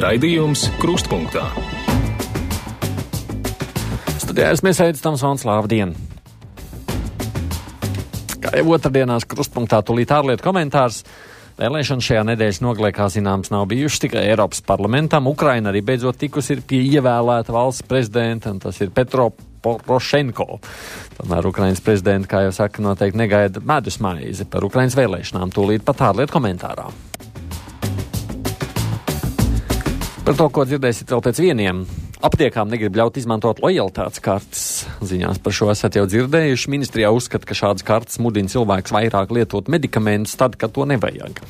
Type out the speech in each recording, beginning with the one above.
Raidījums Krustpunktā. Studijā mēs aicām Svans, labdien! Kā jau otrdienās Krustpunktā tūlīt ārlietu komentārs. Vēlēšanas šajā nedēļas nogalē, kā zināms, nav bijušas tikai Eiropas parlamentam. Ukraina arī beidzot tikusi ir pie ievēlēta valsts prezidenta, un tas ir Petro Porošenko. Tomēr Ukrainas prezidenta, kā jau saka, noteikti negaida medus maizi par Ukrainas vēlēšanām tūlīt pat ārlietu komentārā. Par to, ko dzirdēsiet vēl pēc vieniem. Aptiekām negrib ļaut izmantot lojalitātes kartes. Ziņās par šo esat jau dzirdējuši. Ministrijā uzskata, ka šādas kartes mudina cilvēks vairāk lietot medikamentus tad, kad to nevajag.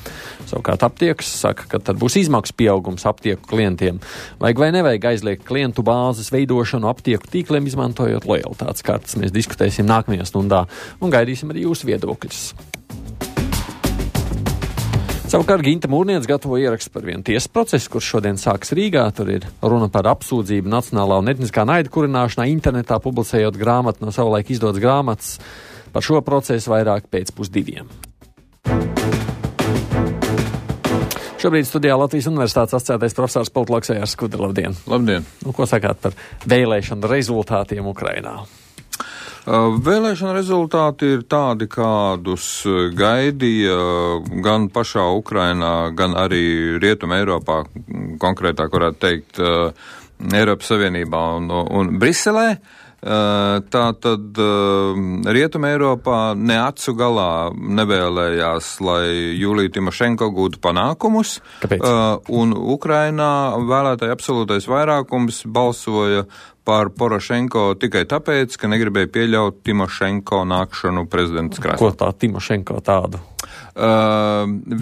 Savukārt aptiekas saka, ka tad būs izmaksu pieaugums aptieku klientiem. Vajag vai nevajag aizliegt klientu bāzes veidošanu aptieku tīkliem, izmantojot lojalitātes kartes. Mēs diskutēsim nākamajā stundā un gaidīsim arī jūsu viedokļus. Savukārt Ginta Mūrniece gatavo ierakstu par vienu tiesas procesu, kurš šodien sāks Rīgā. Tur ir runa par apsūdzību nacionālā un etniskā naida kurināšanā internetā, publicējot grāmatu no savulaik izdotas grāmatas. Par šo procesu vairāk pēc 1:30. Šobrīd studijā Latvijas Universitātes asociētais profesors politologs Jārs Skudra. Labdien! Labdien! Ko sakāt par vēlēšanu rezultātiem Ukrainā? Vēlēšana rezultāti ir tādi, kādus gaidīja gan pašā Ukrainā, gan arī Rietuma Eiropā, konkrētāk varētu teikt Eiropas Savienībā un Briselē. Tātad Rietuma Eiropā ne acu galā nevēlējās, lai Julija Timošenko gūtu panākumus. Kāpēc? Un Ukrainā vēlētāji absolūtais vairākums balsoja par Porošenko tikai tāpēc, ka negribēja pieļaut Timošenko nākšanu prezidents krēslā. Ko tā Timošenko tādu?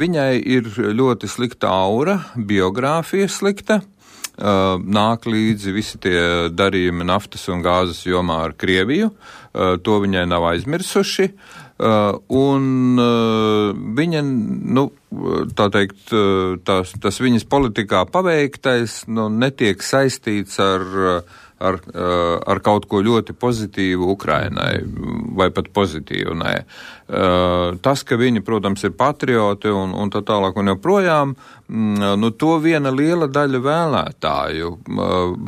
Viņai ir ļoti slikta aura, biogrāfija slikta. Nāk līdzi visi tie darījumi naftas un gāzes jomā ar Krieviju. To viņai nav aizmirsuši. Un viņa, tā teikt, tas viņas politikā paveiktais, netiek saistīts ar kaut ko ļoti pozitīvu Ukrainai, vai pat pozitīvu, nē. Tas, ka viņi, protams, ir patrioti un tā tālāk un joprojām, to viena liela daļa vēlētāju.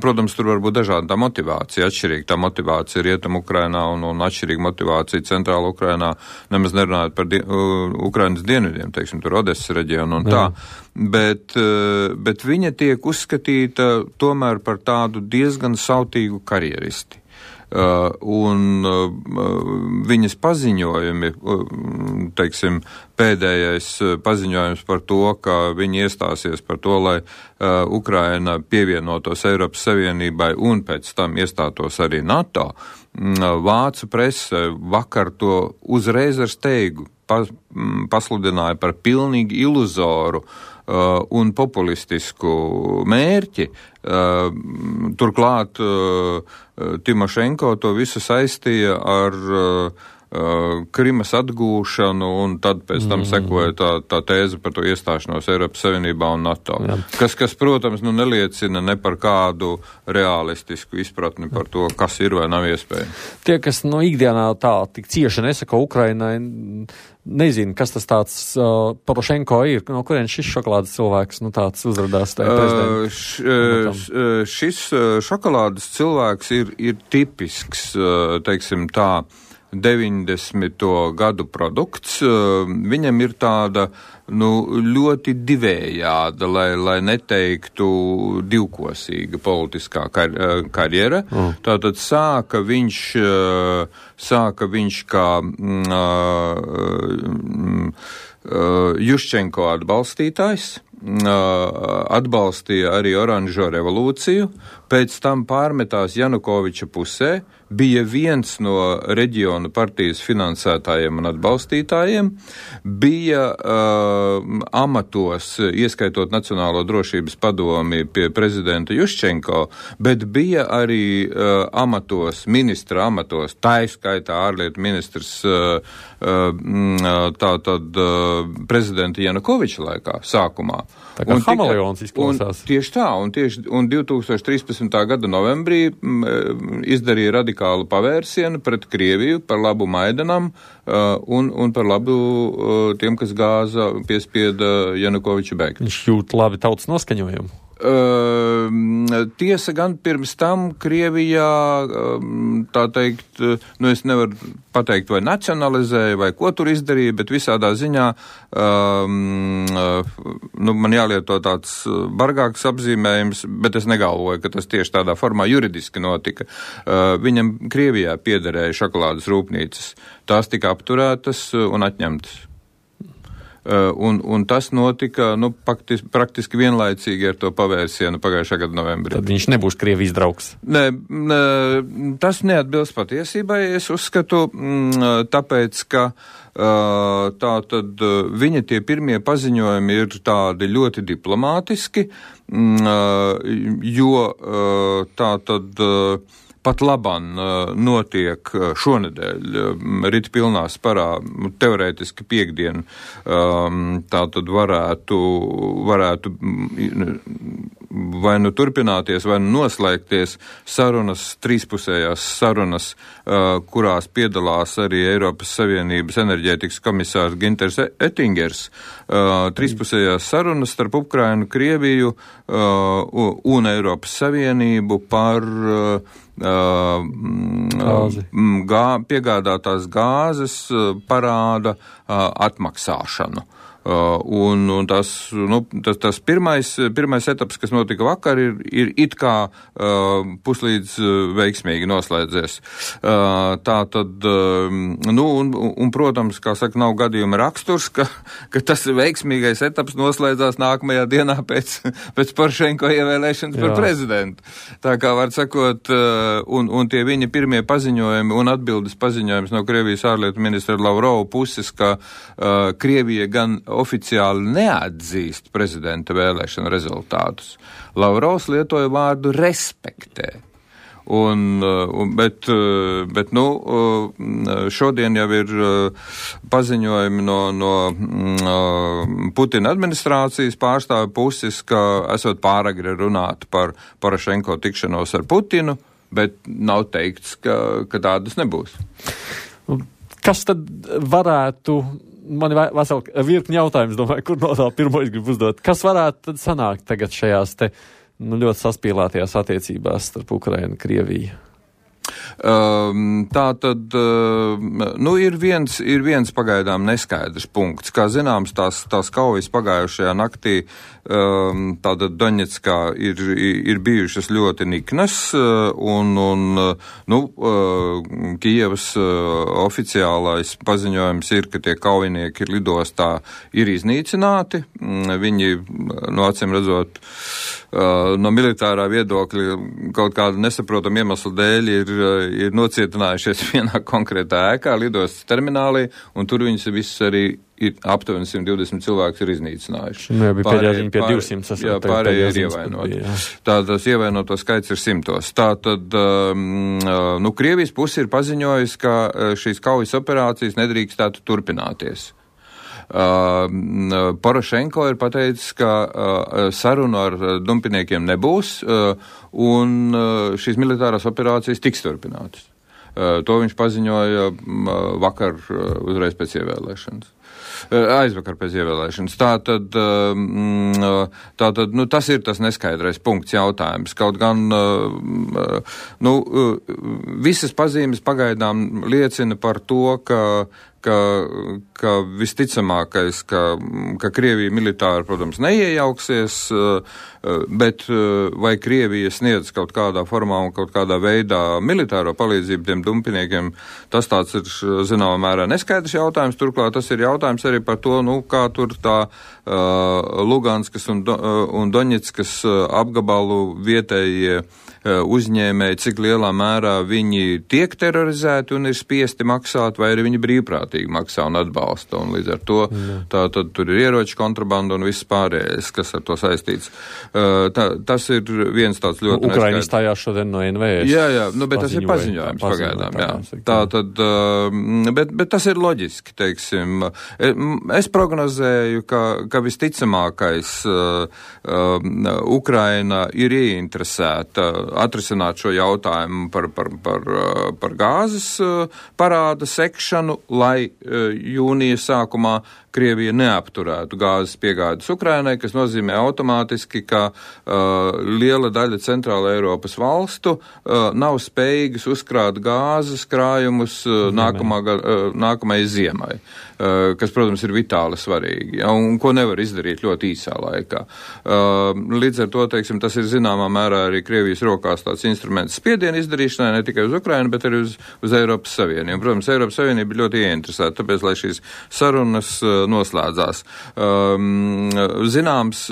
Protams, tur var būt dažāda tā motivācija, atšķirīga tā motivācija Rietum Ukrainā un atšķirīga motivācija Centrāla Ukrainā, nemaz nerunājot par Ukrainas dienvidiem, teiksim, tur Odesas reģionu un tā. Bet viņa tiek uzskatīta tomēr par tādu diezgan sautīgu karjeristi. Un viņas paziņojumi, teiksim, pēdējais paziņojums par to, ka viņi iestāsies par to, lai Ukraina pievienotos Eiropas Savienībai un pēc tam iestātos arī NATO. Vācu prese vakar to uzreiz ar steigu pasludināja par pilnīgi iluzoru un populistisku mērķi. Turklāt Timošenko to visu saistīja ar Krimas atgūšanu, un tad pēc tam sekoja tā tēze par to iestāšanos Eiropas Savienībā un NATO. Kas, protams, neliecina ne par kādu realistisku izpratni par to, kas ir vai nav iespējams. Tie, kas ikdienā tā tik cieši nesaka Ukrainai, nezinu, kas tas tāds Porošenko ir, no kurien šis šokolādes cilvēks tāds uzradās tajā prezidentā? Šis šokolādes cilvēks ir tipisks, teiksim tā, 90. gadu produkts. Viņam ir tāda, ļoti divējāda, lai neteiktu divkosīga politiskā karjera. Tātad sāka viņš kā Juščenko atbalstītājs, atbalstīja arī oranžo revolūciju, pēc tam pārmetās Janukoviča pusē, bija viens no reģionu partijas finansētājiem un atbalstītājiem, bija amatos, ieskaitot Nacionālo drošības padomi pie prezidenta Juščenko, bet bija arī ministra amatos, taiskaitā ārlietu ministrs tātad prezidenta Janukoviča laikā, sākumā. Tā kā hameleons izklausās. Tieši tā, un 2013. gada novembrī izdarīja radikālu pavērsienu pret Krieviju par labu Maidanam un par labu tiem, kas gāza piespieda Janukoviča bēgt. Viņš jūt labi tautas noskaņojumu. Tiesa gan pirms tam Krievijā, tā teikt, es nevaru pateikt, vai nacionalizēja, vai ko tur izdarīja, bet visādā ziņā, man jālieto tāds bargāks apzīmējums, bet es negalvoju, ka tas tieši tādā formā juridiski notika. Viņam Krievijā piederēja šokolādes rūpnīcas. Tās tika apturētas un atņemtas. Un tas notika, praktiski vienlaicīgi ar to pavērsienu pagājušā gada novembrī. Tad viņš nebūs Krievijas draugs? Nē, tas neatbilst patiesībai, es uzskatu, tāpēc, ka tātad viņa tie pirmie paziņojumi ir tādi ļoti diplomātiski, jo tātad pat labam notiek šonedēļ rīt pilnā sparā, teorētiski piekdien, tātad varētu vai nu turpināties, vai nu noslēgties sarunas, trīspusējās sarunas, kurās piedalās arī Eiropas Savienības enerģētikas komisārs Ginters Ettingers. Trīspusējās sarunas starp Ukrainu, Krieviju un Eiropas Savienību par piegādātās gāzes parāda atmaksāšanu. Un tas pirmais etaps, kas notika vakar, ir it kā puslīdz veiksmīgi noslēdzies. Tā tad, un protams, kā saka, nav gadījuma raksturs, ka tas veiksmīgais etaps noslēdzās nākamajā dienā pēc Porošenko ievēlēšanas par prezidentu. Tā kā var sakot, un tie viņa pirmie paziņojumi un atbildes paziņojums no Krievijas ārlietu ministra Lavrova puses, ka Krievija gan oficiāli neatzīst prezidenta vēlēšanu rezultātus. Lavrovs lietoja vārdu respektē. Bet šodien jau ir paziņojumi no Putina administrācijas pārstāvju puses, ka esot pāragri runāt par Porošenko tikšanos ar Putinu, bet nav teikts, ka tādas nebūs. Kas tad varētu... Man ir vesela virkni jautājums, domāju, kur no tā pirmo es gribu uzdot. Kas varētu tad sanākt tagad šajās te ļoti saspīlētajās attiecībās starp Ukrainu un Krieviju? Tā tad, ir viens pagaidām neskaidrs punkts. Kā zināms, tās kaujas pagājušajā naktī tātad Doņetskā ir bijušas ļoti niknas, Kijevas oficiālais paziņojums ir, ka tie kaujinieki lidostā ir iznīcināti. Viņi, acīm redzot, no militārā viedokļa kaut kāda nesaprotama iemesla dēļ ir nocietinājušies vienā konkrētā ēkā, lidostas terminālī, un tur viņus visus arī ir aptuveni 120 cilvēkus ir iznīcinājuši. Pārējie pie 200. Jā, pārējie ir ievainoti. Tātad ievainoto skaits ir 100. Tātad, Krievijas puse ir paziņojusi, ka šīs kaujas operācijas nedrīkstētu turpināties. Porošenko ir pateicis, ka sarunu ar dumpiniekiem nebūs, un šīs militārās operācijas tiks turpinātas. To viņš paziņoja vakar uzreiz pēc ievēlēšanas. Aizvakar pēc ievēlēšanas. Tātad, tas ir tas neskaidrais punkts jautājums. Kaut gan, visas pazīmes pagaidām liecina par to, ka visticamākais, ka Krievija militāri, protams, neiejauksies, bet vai Krievija sniedz kaut kādā formā un kaut kādā veidā militāro palīdzību tiem dumpiniekiem, tas tāds ir zināmā mērā neskaidrs jautājums. Turklāt tas ir jautājums arī par to, kā tur tā Luganskas un Doņetskas apgabalu vietējie uzņēmēji, cik lielā mērā viņi tiek terorizēti un ir spiesti maksāt, vai arī viņi brīvprātīgi maksā un atbalsta. Un līdz ar to tad tur ir ieroču kontrabanda un viss pārējais, kas ar to saistīts. Tas ir viens tāds ļoti neskaidrs. Ukraina izstājās šodien no NVS. Jā, bet tas ir paziņojums pagaidām. Jā. Bet tas ir loģiski, teiksim. Es prognozēju, ka visticamākais Ukraina ir ieinteresēta atrisināt šo jautājumu par gāzes parāda sekšanu, lai jūnija sākumā Krievija neapturētu gāzes piegādes Ukrainai, kas nozīmē automātiski, ka liela daļa centrāla Eiropas valstu nav spējīgas uzkrāt gāzes krājumus nākamai ziemai, kas, protams, ir vitāli svarīgi, ja, un ko nevar izdarīt ļoti īsā laikā. Līdz ar to, teiksim, tas ir zināmā mērā arī Krievijas rokās tāds instruments spiedienu izdarīšanai, ne tikai uz Ukrainu, bet arī uz Eiropas Savienību. Protams, Eiropas Savienība ir ļoti ieinteresēta, tāpēc, lai šīs sarunas noslēdzās. Zināms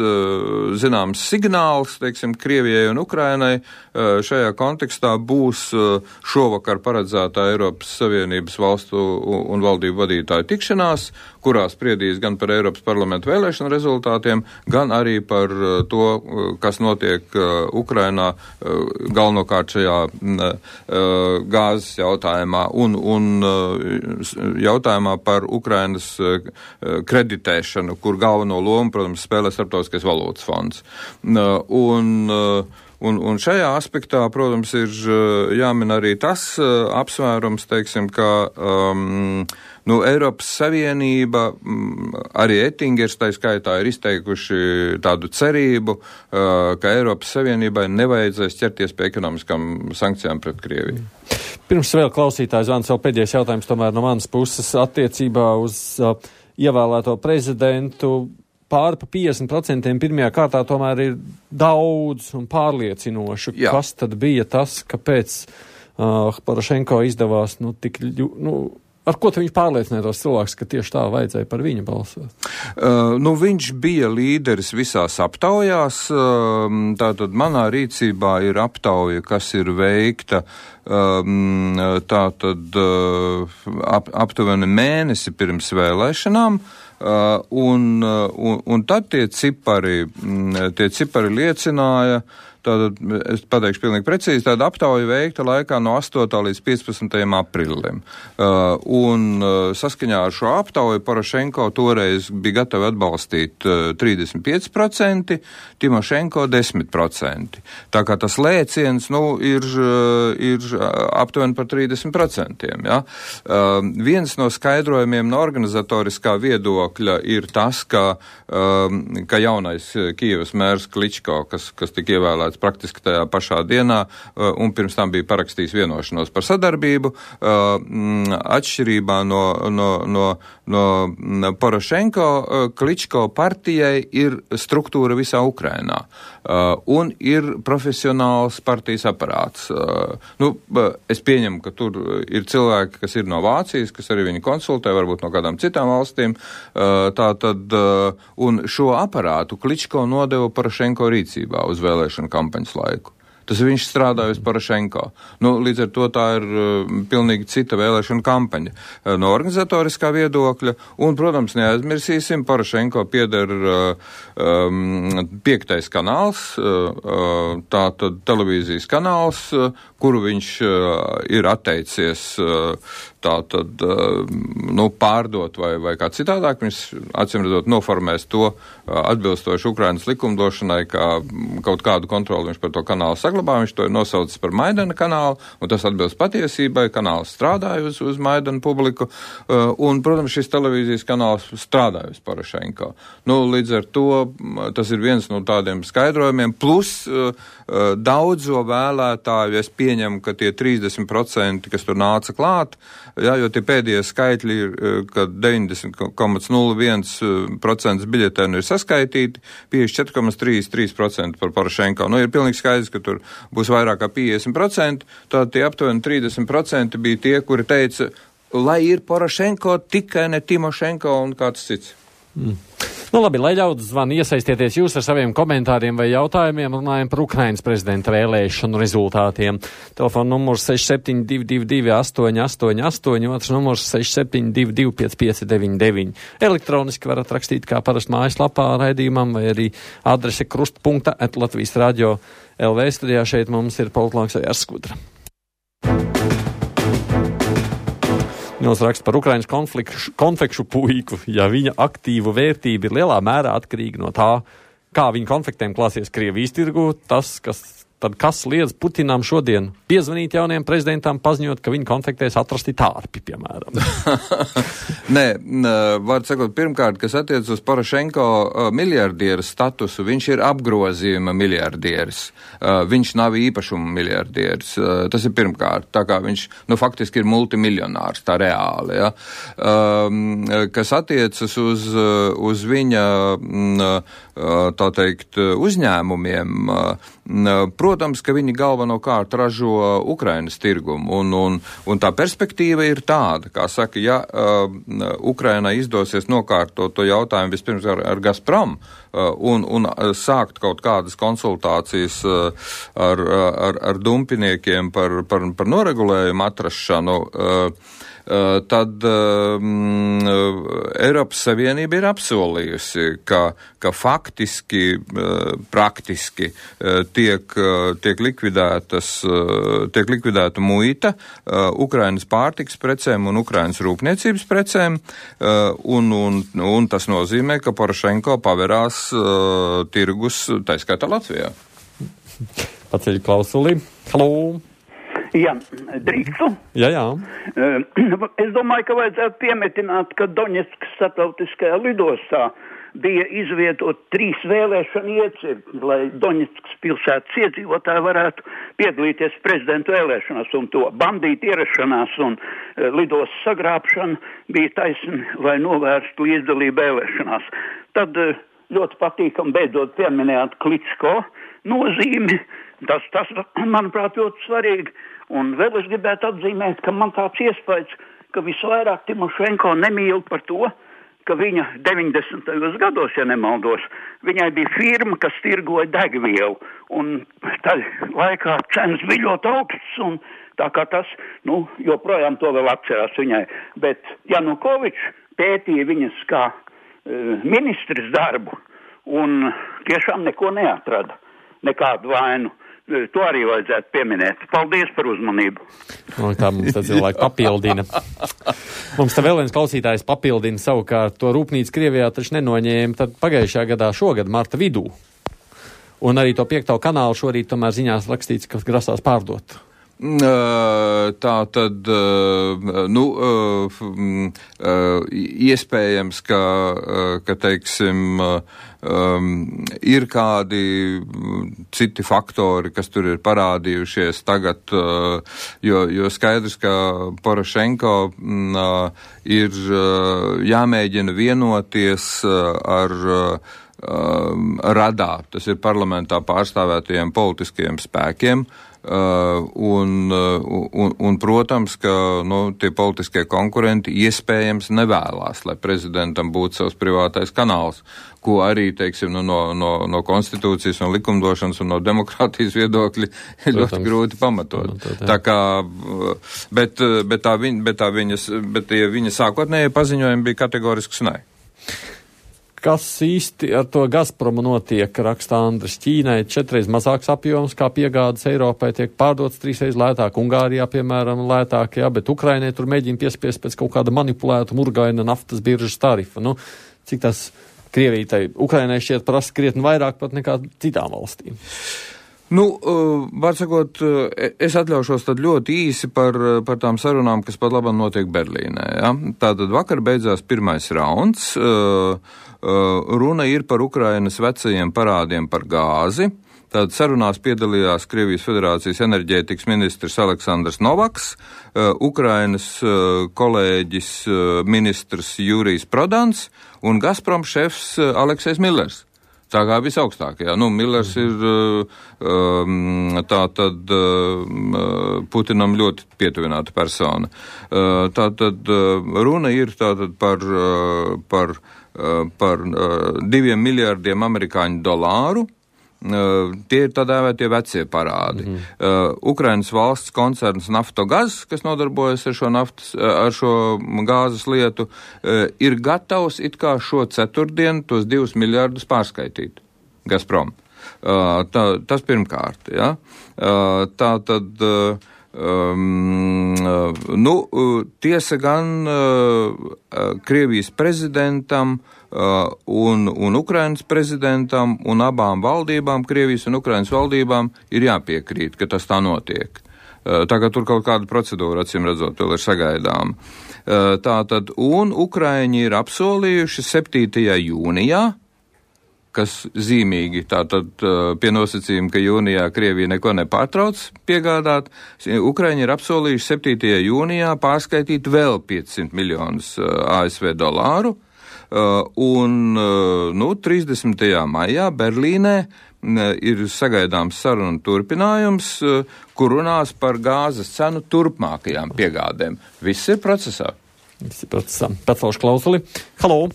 signāls, teiksim, Krievijai un Ukrainai šajā kontekstā būs šovakar paredzētā Eiropas Savienības valstu un valdību vadītāju tikšanās, kurā spriedīs gan par Eiropas parlamentu vēlēšanu rezultātiem, gan arī par to, kas notiek Ukrainā galvenokārt šajā gāzes jautājumā un jautājumā par Ukrainas kreditēšanu, kur galveno lomu, protams, spēlē Starptautiskais valūtas fonds. Un šajā aspektā, protams, ir jāmin arī tas apsvērums, teiksim, ka Eiropas Savienība, arī Ettingers tā skaitā ir izteikuši tādu cerību, ka Eiropas Savienībai nevajadzēs ķerties pie ekonomiskām sankcijām pret Krieviju. Pirms vēl klausītājs zvans, vēl pēdējais jautājums tomēr no manas puses attiecībā uz ievēlēto prezidentu. Pāri pa 50% pirmajā kārtā tomēr ir daudz un pārliecinoši. Jā. Kas tad bija tas, kāpēc Porošenko izdevās tik ar ko viņš pārliecināja tos cilvēkus, ka tieši tā vajadzēja par viņu balsot? Viņš bija līderis visās aptaujās. Tātad manā rīcībā ir aptauja, kas ir veikta aptuveni mēnesi pirms vēlēšanām. Un tad tie cipari liecināja, tātad, es pateikšu pilnīgi precīzi, tāda aptauja veikta laikā no 8. līdz 15. aprīlim. Saskaņā ar šo aptauju Porošenko toreiz bija gatavi atbalstīt 35%, Timošenko 10%. Tā kā tas lēciens, ir aptuveni par 30%. Ja? Viens no skaidrojumiem no organizatoriskā viedokļa ir tas, ka jaunais Kijevas mērs Kličko, kas tika ievēlēts praktiski tajā pašā dienā, un pirms tam bija parakstījis vienošanos par sadarbību, atšķirībā no Porošenko, Kličko partijai ir struktūra visā Ukrainā, un ir profesionāls partijas aparāts. Es pieņemu, ka tur ir cilvēki, kas ir no Vācijas, kas arī viņi konsultē, varbūt no kādām citām valstīm, un šo aparātu Kličko nodeva Porošenko rīcībā uz vēlēšanu kampaņas laiku. Tas viņš strādāja uz Porošenko. Līdz ar to tā ir pilnīgi cita vēlēšana kampaņa no organizatoriskā viedokļa. Un, protams, neaizmirsīsim, Porošenko pieder 5. kanāls, tātad televīzijas kanāls, kuru viņš ir atteicies pārdot vai kā citādāk. Viņš, acīmredzot, noformēs to atbilstoši Ukrainas likumdošanai, kā kaut kādu kontroli viņš par to kanālu saglabā. Viņš to ir nosaucis par Maidana kanālu, un tas atbilst patiesībai. Kanāls strādāja uz Maidana publiku, un, protams, šis televīzijas kanāls strādāja uz Porošenko. Līdz ar to tas ir viens no tādiem skaidrojumiem, plus daudzo vēlētāju, es pieņemu, ka tie 30%, kas tur nāca klāt, jo tie pēdējie skaitļi ir, ka 90,01% biļetēnu ir saskaitīti, 54,33% par Porošenko. Ir pilnīgi skaidrs, ka tur būs vairāk kā 50%, tad tie aptuveni 30% bija tie, kuri teica, lai ir Porošenko, tikai ne Timošenko un kāds cits. Labi, lai ļaudis zvana, iesaistieties jūs ar saviem komentāriem vai jautājumiem, runājam par Ukrainas prezidenta vēlēšanu rezultātiem. Telefona numurs 6722 888, otrs numurs 6722 5599. Elektroniski varat rakstīt kā parasti mājaslapā raidījumam, vai arī adrese krustpunkta@latvijas-radio.lv. Studijā šeit mums ir politologs Jārs Skudra. Viņos raksta par Ukrainas konfekšu puiku, ja viņa aktīvu vērtība ir lielā mērā atkarīga no tā, kā viņa konfliktiem klāsies Krievijas tirgu, tas, kas tad kas liedz Putinam šodien piezvanīt jaunajam prezidentam, paziņot, ka viņi konfliktēs atrasti tārpi, piemēram? Nē, var sakot, pirmkārt, kas attiec uz Porošenko miljardieru statusu, viņš ir apgrozījuma miljardieris. Viņš nav īpašuma miljardieris. Tas ir pirmkārt, tā kā viņš, faktiski ir multimiljonārs, tā reāli, ja. Kas attiecas uz viņa, tā teikt, uzņēmumiem, protams, ka viņi galvenokārt ražo Ukrainas tirgumu, un tā perspektīva ir tāda, kā saka, ja Ukrainai izdosies nokārtot to jautājumu vispirms ar Gazprom un sākt kaut kādas konsultācijas ar dumpiniekiem par noregulējumu atrašanu, tad Eiropas Savienība ir apsolījusi, ka faktiski, praktiski tiek likvidēta muita Ukrainas pārtikas precēm un Ukrainas rūpniecības precēm, un tas nozīmē, ka Porošenko paverās tirgus, tā skaitā Latvijā. Paceļ klausuli. Halo! Jā, drīkstu? Jā. Es domāju, ka vajadzētu piemetināt, ka Doņetskas starptautiskajā lidostā bija izvietot 3 vēlēšanu iecirkņi, lai Doņetskas pilsētas iedzīvotāji varētu piedalīties prezidentu vēlēšanās, un to bandītu ierašanās un lidostas sagrābšana bija taisni, lai novērstu līdzdalību vēlēšanās. Tad ļoti patīkam beidzot pieminējāt Kličko nozīmi. Tas, manuprāt, ļoti svarīgi. Un vēl es gribētu atzīmēt, ka man tāds iespējas, ka visvairāk Timošenko nemīl par to, ka viņa 90. gados, ja nemaldos, viņai bija firma, kas tirgoja degvielu. Un tad laikā cenas bija ļoti augstas, un tā kā tas, joprojām to vēl atcerās viņai. Bet Janukovičs pētīja viņas kā ministrs darbu, un tiešām neko neatrada, nekādu vainu. To arī vajadzētu pieminēt. Paldies par uzmanību. Tā mums tā cilvēki papildina. Mums tā vēl viens klausītājs papildina savukārt to rūpnīcu Krievijā taču nenoņēma tad pagājušajā gadā šogad marta vidū. Un arī to 5. kanālu šorīt tomēr ziņās rakstīts, ka grasās pārdot. Tā tad, iespējams, ka teiksim, ir kādi citi faktori, kas tur ir parādījušies tagad, jo skaidrs, ka Porošenko ir jāmēģina vienoties ar Radā, tas ir parlamentā pārstāvētajiem politiskajiem spēkiem, un protams, ka tie politiskie konkurenti iespējams nevēlās, lai prezidentam būtu savs privātais kanāls, ko arī, teiksim, no konstitūcijas un likumdošanas un no demokrātijas viedokļi ir ļoti grūti pamatot. Tā kā, bet viņa sākotnējie paziņojumi bija kategorisks nē. Kas īsti ar to Gazpromu notiek, raksta Andris? Ķīnai 4 mazāks apjoms, kā piegādes Eiropai tiek pārdots 3 lētāk, Ungārijā, piemēram, lētāk, jā, bet Ukrainai tur mēģina piespiest pēc kaut kāda manipulēta murgaina naftas biržas tarifa. Cik tas Krievijai, Ukrainai šķiet prasa krietni vairāk pat nekā citām valstīm? Var sakot, es atļaušos tad ļoti īsi par tām sarunām, kas pat labam notiek Berlīnē. Ja? Tātad vakar beidzās pirmais rauns. Runa ir par Ukrainas vecajiem parādiem par gāzi. Tātad sarunās piedalījās Krievijas Federācijas enerģētikas ministrs Aleksandrs Novaks, Ukrainas kolēģis ministrs Jurijs Prodans un Gazprom šefs Aleksejs Millers. Tā kā visaugstākajā. Millers ir tātad Putinam ļoti pietuvināta persona. Tātad runa ir tātad par 2 miljardiem amerikāņu dolāru. Tie ir tā dēvētie vecie parādi. Ukrainas valsts koncerns Naftogaz, kas nodarbojas ar šo gāzes lietu, ir gatavs it kā šo ceturtdienu tos 2 miljardus pārskaitīt Gazprom. Tas pirmkārt, ja. Tā tad Tiesa gan Krievijas prezidentam un Ukrainas prezidentam un abām valdībām, Krievijas un Ukrainas valdībām, ir jāpiekrīt, ka tas tā notiek. Tā kā tur kaut kāda procedūra, acīm redzot, vēl ir sagaidām. Tātad, un Ukraiņi ir apsolījuši 7. jūnijā, kas zīmīgi, tātad pie nosacījuma, ka jūnijā Krievija neko nepārtrauc piegādāt, Ukraiņi ir apsolījuši 7. jūnijā pārskaitīt vēl 500 miljonus ASV dolāru, un 30. maijā Berlīnē ir sagaidāms sarunu turpinājums, kur runās par gāzes cenu turpmākajām piegādēm. Viss ir procesā. Pacelšu klausuli. Halo!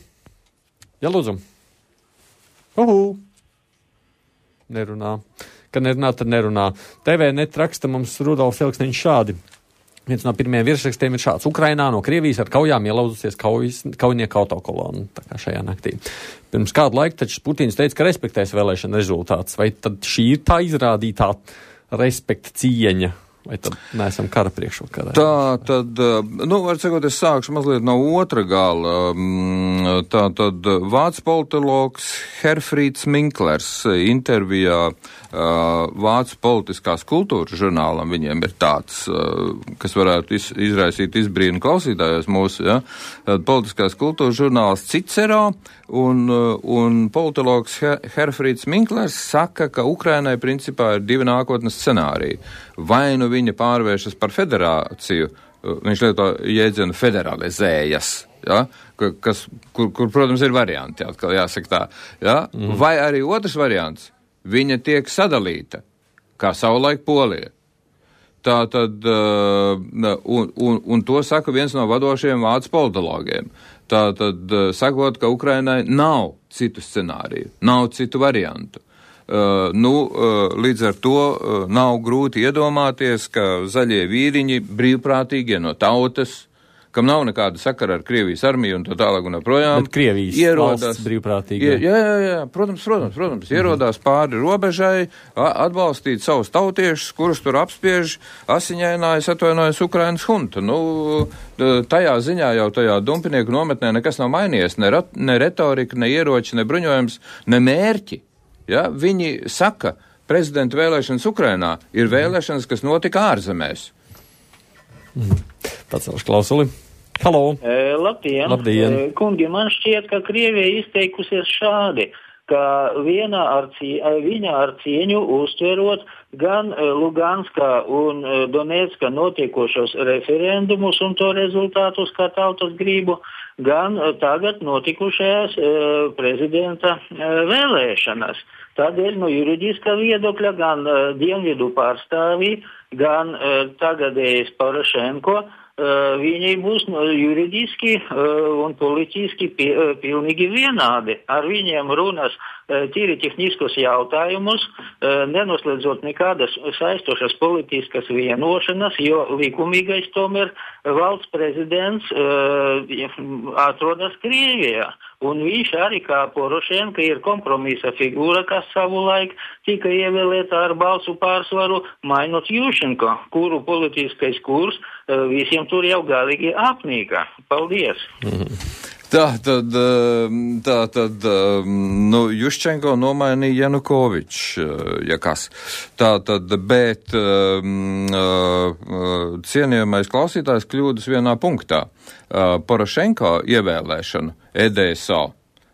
Jā, lūdzu. Nerunā. Kad nerunā, tad nerunā. TV net raksta mums Rudolfs Elksniņš šādi. Viens no pirmajiem virsrakstiem ir šāds. Ukrainā no Krievijas ar kaujām ielauzusies kaujinieku autokolonu, tā kā šajā naktī. Pirms kādu laiku taču Putins teica, ka respektēs vēlēšana rezultātus. Vai tad šī ir tā izrādītā respekta cieņa? Vai tad neesam kara priekšvakarā? Tā tad, var sakot, es sākšu mazliet no otra gala. Tā tad vācu politologs Herfrīds Minklers intervijā Vācu politiskās kultūras žurnālam, viņiem ir tāds, kas varētu izraisīt izbrīnu klausītājos mūsu, ja? Politiskās kultūras žurnāls Cicero un politologs Herfrīds Minklers saka, ka Ukrainai principā ir divi nākotnes scenāriji. Vai nu viņa pārvēršas par federāciju, viņš lieto jēdzienu federalizējas, ja? kur, protams, ir varianti, atkal jāsaka tā, ja? Vai arī otrs variants, viņa tiek sadalīta, kā savulaik Polija. Tā tad, un to saka viens no vadošajiem vācu politologiem. Tā tad, sakot, ka Ukrainai nav citu scenāriju, nav citu variantu. Līdz ar to nav grūti iedomāties, ka zaļie vīriņi, brīvprātīgie no tautas, kam nav nekāda sakara ar Krievijas armiju un tā tālāk un projām. Bet Krievijas ierodās brīvprātīgi. Jā, protams, ierodās pāri robežai, atbalstīt savus tautiešus, kurus tur apspiež asiņainājas, atvainojas Ukrainas hunta. Tajā ziņā jau tajā dumpinieku nometnē nekas nav mainījies, ne retorika, ne ieroči, ne bruņojums, ne mērķi. Ja? Viņi saka, prezidenta vēlēšanas Ukrainā ir vēlēšanas, kas notika ārzemēs. Pacelšu klausuli. Halo! Labdien! Kungi, man šķiet, ka Krievija izteikusies šādi, ka viņa ar cieņu uztverot gan Luganskā un Donetska notiekošos referendumus un to rezultātus kā tautas gribu, gan tagad notikušajās prezidenta vēlēšanas. Tādēļ no juridiskā viedokļa gan dienvidu pārstāvji, gan tagadējais Porošenko, viņi būs juridiski un politiski pilnīgi vienādi. Ar viņiem runas tīri tehniskus jautājumus, nenoslēdzot nekādas saistošas politiskas vienošanas, jo likumīgais tomēr valsts prezidents atrodas Krievijā. Un viņš arī kā Porošenka ir kompromisa figūra, kas savulaik tika ievēlēta ar balsu pārsvaru, mainot Jušenko, kuru politiskais kurs visiem tur jau galīgi apnīka. Paldies! Tā tad, Juščenko nomainīja Janukovičs, ja kas. Tā tad, bet cienījamais klausītājs kļūdas vienā punktā. Porošenko ievēlēšanu EDSO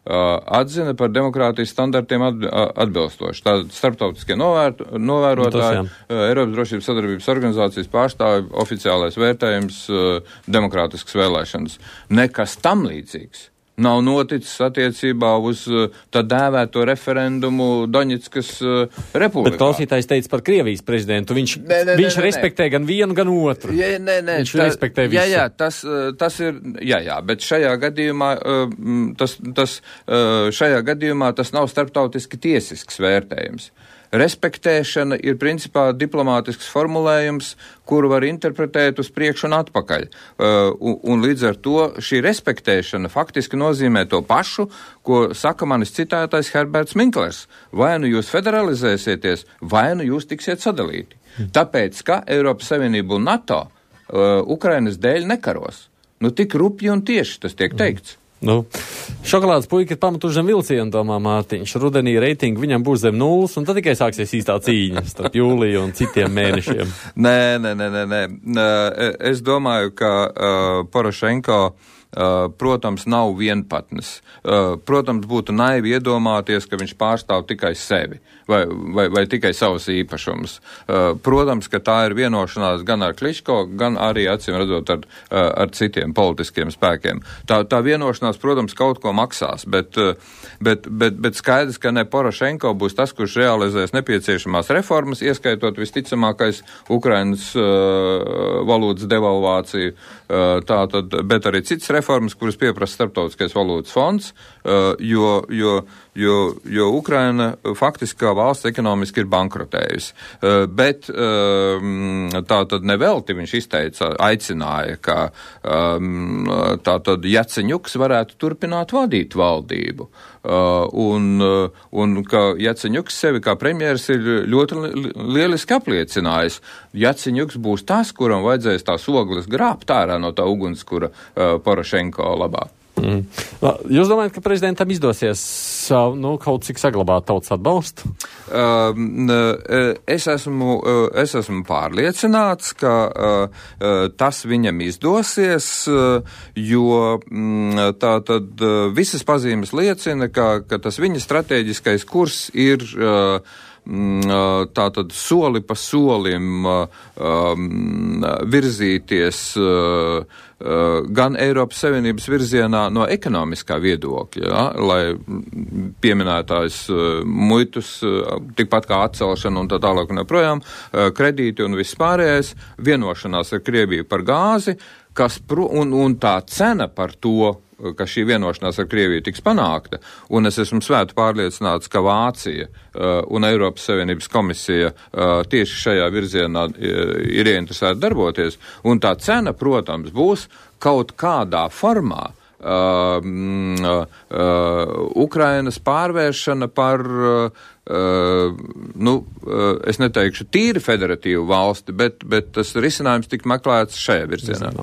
atzina par demokrātijas standartiem atbilstoši. Tātad starptautiskie novērotāji, Eiropas drošības sadarbības organizācijas pārstāvi, oficiālais vērtējums, demokrātiskas vēlēšanas. Nekas tam līdzīgs nav noticis attiecībā uz tā dēvēto referendumu Doņetskas republikā. Bet klausītājs teica par Krievijas prezidentu. Viņš respektē gan vienu, gan otru. Viņš respektē visu. Tas ir, bet šajā gadījumā tas nav starptautiski tiesisks vērtējums. Respektēšana ir principā diplomātisks formulējums, kuru var interpretēt uz priekšu un atpakaļ. Un līdz ar to šī respektēšana faktiski nozīmē to pašu, ko saka manis citētais Herberts Minklers. Vai nu jūs federalizēsieties, vai nu jūs tiksiet sadalīti. Tāpēc, ka Eiropas Savienība un NATO Ukrainas dēļ nekaros. Nu, tik rupji un tieši tas tiek teikts. Nu, šokolādes puika ir pamatuši zem vilcienu, domā Mārtiņš. Rudenī reitingi viņam būs zem 0, un tad tikai sāksies īstā cīņa starp jūliju un citiem mēnešiem. Nē. Es domāju, ka Porošenko, protams, nav vienpatnis. Protams, būtu naivi iedomāties, ka viņš pārstāv tikai sevi vai tikai savus īpašumus. Protams, ka tā ir vienošanās gan ar Kličko, gan arī, acīm redzot, ar citiem politiskiem spēkiem. Tā vienošanās, protams, kaut ko maksās, bet skaidrs, ka ne Porošenko būs tas, kurš realizēs nepieciešamās reformas, ieskaitot visticamākais Ukrainas valūtas devalvāciju, bet arī citas reformas, kuras pieprasa Starptautiskais valūtas fonds, jo Ukraina faktiski kā valsts ekonomiski ir bankrotējusi. Bet tā tad nevelti viņš aicināja, ka tā tad Jaceņuks varētu turpināt vadīt valdību. Un ka Jaceņuks sevi kā premjeras ir ļoti lieliski apliecinājis. Jaceņuks būs tas, kuram vajadzēs tās ogles grābt ārā no tā ugunskura Porošenko labā. Jūs domājat, ka prezidentam izdosies kaut cik saglabāt tautas atbalstu? Es esmu pārliecināts, ka tas viņam izdosies, jo tātad visas pazīmes liecina, ka tas viņa strateģiskais kurs ir tātad soli pa solim virzīties gan Eiropas Savienības virzienā no ekonomiskā viedokļa, ja, lai pieminētājs muitus, tikpat kā atcelšana un tā tālāk un joprojām, kredīti un viss pārējais, vienošanās ar Krieviju par gāzi, un tā cena par to, ka šī vienošanās ar Krieviju tiks panākta, un es esmu svēti pārliecināts, ka Vācija un Eiropas Savienības komisija tieši šajā virzienā ir ieinteresēti darboties, un tā cena, protams, būs kaut kādā formā Ukrainas pārvēršana par, es neteikšu tīri federatīvu valsti, bet tas risinājums tik meklēts šajā virzienā.